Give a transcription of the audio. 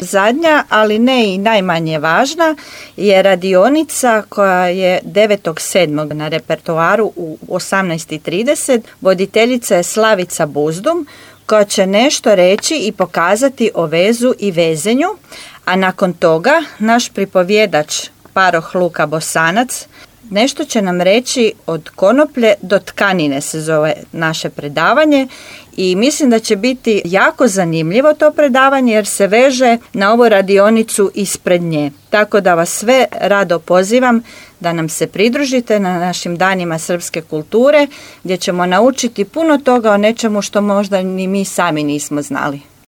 Zadnja, ali ne i najmanje važna, je radionica koja je 9.7. na repertoaru u 18.30. Voditeljica je Slavica Buzdum, koja će nešto reći i pokazati o vezu i vezenju, a nakon toga naš pripovjedač paroh Luka Bosanac nešto će nam reći od konoplje do tkanine se zove naše predavanje i mislim da će biti jako zanimljivo to predavanje jer se veže na ovu radionicu ispred nje. Tako da vas sve rado pozivam da nam se pridružite na našim danima srpske kulture gdje ćemo naučiti puno toga o nečemu što možda ni mi sami nismo znali.